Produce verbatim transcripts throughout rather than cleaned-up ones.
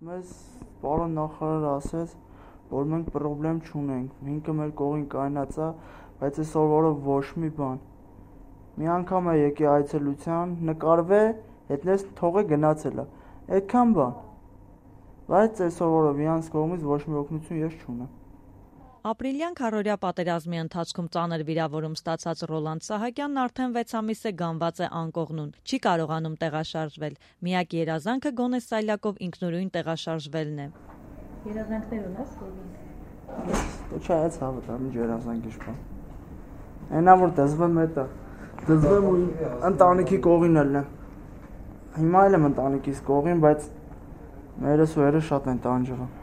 Մեզ պարոն նախարարը ասեց, որ մենք պրոբլեմ չունենք, ինքը մեր կողին կայնած է, բայց այսօր օրը ոչ մի բան։ Մի անգամ է եկի այցելության, նկարվե, հետնես թողե գնացել է, այդքան բան։ Բայց այսօր օրը վիրանց կողմից ոչ մի օգնություն ես չունեմ։ Ապրիլյան քառօրյա պատերազմի ընթացքում ծանր վիրավորում ստացած Ռոլանդ Սահակյանն արդեն վեց ամիս է գանված է անկողնուն, չի կարողանում տեղաշարժվել։ Միակ երազանքը գոնե սայլակով ինքնուրույն տեղաշարժվելն է։ Երազանքներ ունես ո՞վ։ Չայց հավատամ, ինչ երազանք իշպա։ Այնա որ դզվեմ հետը, դզվեմ ու ընտանիքի կողին ելնեմ։ Հիմա էլ եմ ընտանիքիս կողին, բայց մերս ու հերը շատ են տանջվում։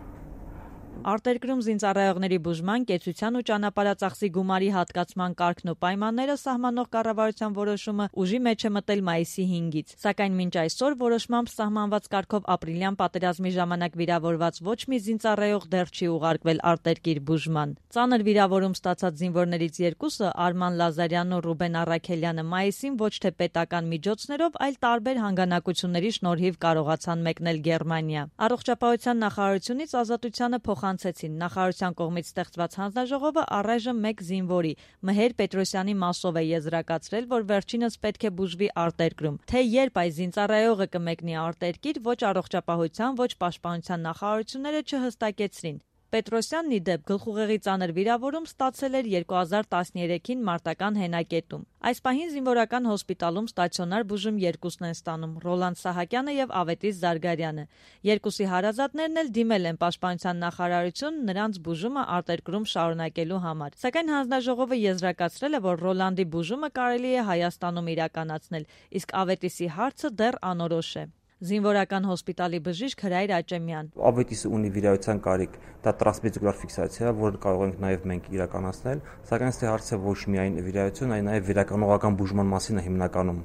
Արտերկրում զինծառայողների բուժման, կեցության ու ճանապարհածախսի գումարի հատկացման կարգն ու պայմանները սահմանող կառավարության որոշումը ուժի մեջ է մտել մայիսի հինգից, սակայն մինչ այսօր որոշմամբ սահմանված կարգով ապրիլյան պատերազմի ժամանակ վիրավորված ոչ մի զինծառայող դեռ չի ուղարկվել արտերկիր բուժման։ Ծանր վիրավորում ստացած զինվորներից երկուսը՝ Արման Լազարյանն ու Ռուբեն Առաքելյանը, մայիսին ոչ թե պետական միջոցներով, այլ տարբեր հանգանակությունների շնորհիվ կարողացան մեկնել Գերմանիա։ Առողջապահության նախարարությունից Ազատությանը փոխանցեցին նախարարության կողմից ստեղծված հանձնաժողովը առայժմ մեկ զինվորի՝ Մհեր Պետրոսյանի մասով է եզրակացրել, որ վերջինս պետք է բուժվի արտերկրում։ Թե երբ այս զինծառայողը կմեկնի արտերկիր, ոչ առողջապահության, ոչ պաշտպանության նախարարությունները չհստակեցրին։ Պետրոսյանն ի դեպ գլխուղեղի ծանր վիրավորում ստացել էր երկու հազար տասներեքին մարտական հենակետում։ Այս պահին զինվորական հոսպիտալում ստացիոնար բուժում երկուսն են ստանում՝ Ռոլանդ Սահակյանը եւ Ավետիս Զարգարյանը։ Երկուսի հարազատներն էլ դիմել են պաշտպանության նախարարություն նրանց բուժումը արտերկրում շարունակելու համար։ Սակայն հանձնաժողովը եզրակացրել է, որ Ռոլանդի բուժումը կարելի է Հայաստանում իրականացնել, իսկ Ավետիսի հարցը դեռ անորոշ է։ Զինվորական հոսպիտալի բժիշկ Հրայր Աճեմյան։ Ավետիսը ունի վիրահատության կարիք, դա տրանսվեզիկուլար ֆիքսացիա, որը կարող ենք նաև մենք իրականացնել, սակայն ստե հարցը ոչ միայն վիրահատություն, այլ նաև վերականգնողական բուժման մասին է հիմնականում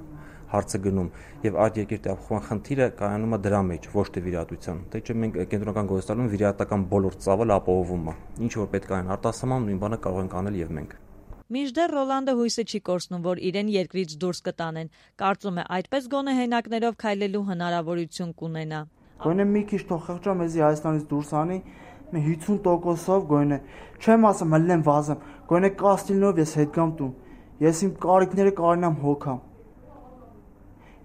հարցը գնում, եւ այդ երկրի տեղափոխման խնդիրը կայանում է դրա մեջ, ոչ թե վիրահատության։ Դե չէ մենք կենտրոնական գոյստանում վիրահատական բոլոր ծավալը ապահովում է։ Ինչ որ պետք է այն արտասահման նույն բանը կարող ենք անել եւ մենք։ Մինչդեռ Ռոլանդը հույսը չի կորցնում, որ իրեն երկրից դուրս կտանեն։ Կարծում է, այդպես գոնե հենակներով քայլելու հնարավորություն կունենա։ Գոնե մի քիչ թող խղճա մեզի Հայաստանից դուրս անի, մի հիսուն տոկոսով գոնե, չեմ ասում հլնեմ վազեմ, գոնե կաստիլնով ես հետ գամ տուն։ Ես իմ կարիքները կարողանամ հոգամ։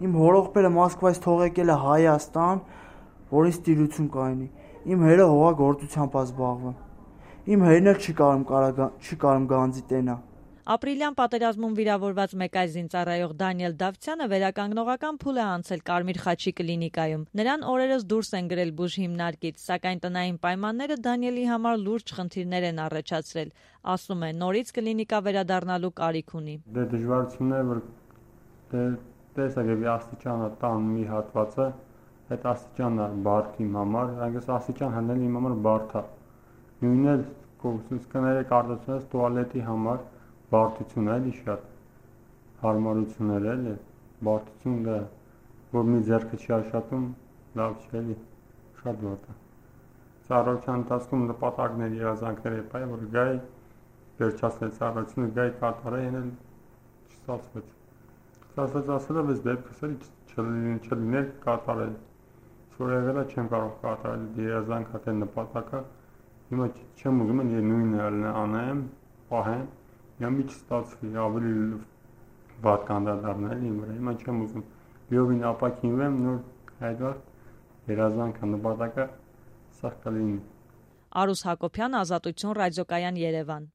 Իմ հորողբերը Մոսկվայից թող եկել է Հայաստան, որին ստիրություն կայնի։ Իմ հերը հողագործությամբ է զբաղվում։ Իմ հերն էլ չի կարող չի կարող գանձի տենա։ Ապրիլյան պատերազմում վիրավորված մեկ այլ զինծառայող Դանիել Դավթյանը վերականգնողական փուլ է անցել Կարմիր խաչի կլինիկայում։ Նրան օրերս դուրս են գրել բուժ հիմնարկից, սակայն տնային պայմանները Դանիելի համար լուրջ խնդիրներ են առաջացրել։ Ասում է, նորից կլինիկա վերադառնալու կարիք ունի։ Դե դժվարությունները, որ դե տեսակ է աստիճանը տան մի հատվածը, այդ աստիճանն է բարդ իմ համար, այնպես աստիճան հնել իմ համար բարդ է։ Նույնն էլ կողսուսկները կարծացած տուալետի համար բարդություն էլի շատ հարմարություններ էլի բարդություն դա որ մի ձեռքը չի աշխատում լավ չի էլի շատ բարդ է ծառայության ընթացքում նպատակներ երազանքներ է բայ որ գայ վերջացնել ծառայությունը գայ կատարել են չստացվեց ստացվեց ասել ես դեպքս էլ չլիներ կատարել որ եղել է չեմ կարող կատարել երազանքը թե նպատակը հիմա չեմ ուզում են նույնը անեմ պահեմ Եմ մի չստացվի, ավելի վատ կանդադարնել իմ վրա, հիմա չեմ ուզում լիովին ապակինվեմ, նոր հայդվար երազանքը նպատակը սաղ կլինի։ Արուս Հակոբյան, Ազատություն, Ռադիոկայան, Երևան։